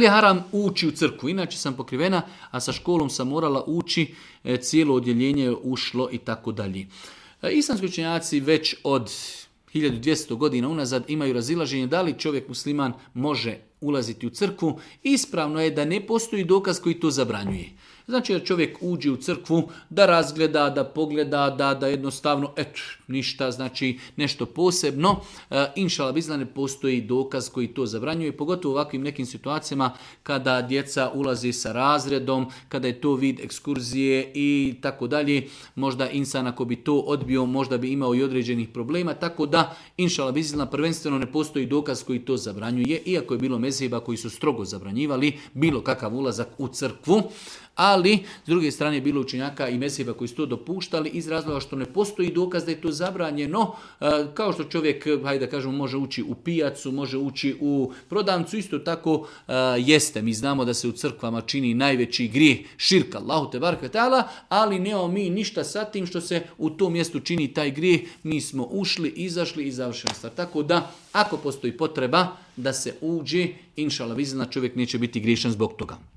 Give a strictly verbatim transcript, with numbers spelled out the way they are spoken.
je haram ući u crkvu? Inače sam pokrivena, a sa školom sam morala ući, e, cijelo odjeljenje je ušlo i tako dalje. E, Islamski učenjaci već od hiljadu dvjesto godina unazad imaju razilaženje da li čovjek musliman može ulaziti u crkvu. Ispravno je da ne postoji dokaz koji to zabranjuje. Znači da čovjek uđe u crkvu, da razgleda, da pogleda, da, da jednostavno, eto, ništa, znači nešto posebno. E, Inšala bizna ne postoji dokaz koji to zabranjuje, pogotovo u ovakvim nekim situacijama kada djeca ulazi sa razredom, kada je to vid ekskurzije i tako dalje. Možda insan ako bi to odbio, možda bi imao i određenih problema, tako da Inšala bizna prvenstveno ne postoji dokaz koji to zabranjuje, iako je bilo mezheba koji su strogo zabranjivali bilo kakav ulazak u crkvu. Ali, s druge strane, bilo učenjaka i mezheba koji su to dopuštali iz razloga što ne postoji dokaz da je to zabranjeno. Kao što čovjek, hajde da kažemo, može ući u pijacu, može ući u prodavnicu, isto tako jeste. Mi znamo da se u crkvama čini najveći grijeh širka, Allahu te bareke ta'ala, ali nemamo mi ništa sa tim što se u tom mjestu čini taj grijeh. Mi smo ušli, izašli i završena stvar. Tako da, ako postoji potreba da se uđe, inšala bizna, čovjek neće biti griješan zbog toga.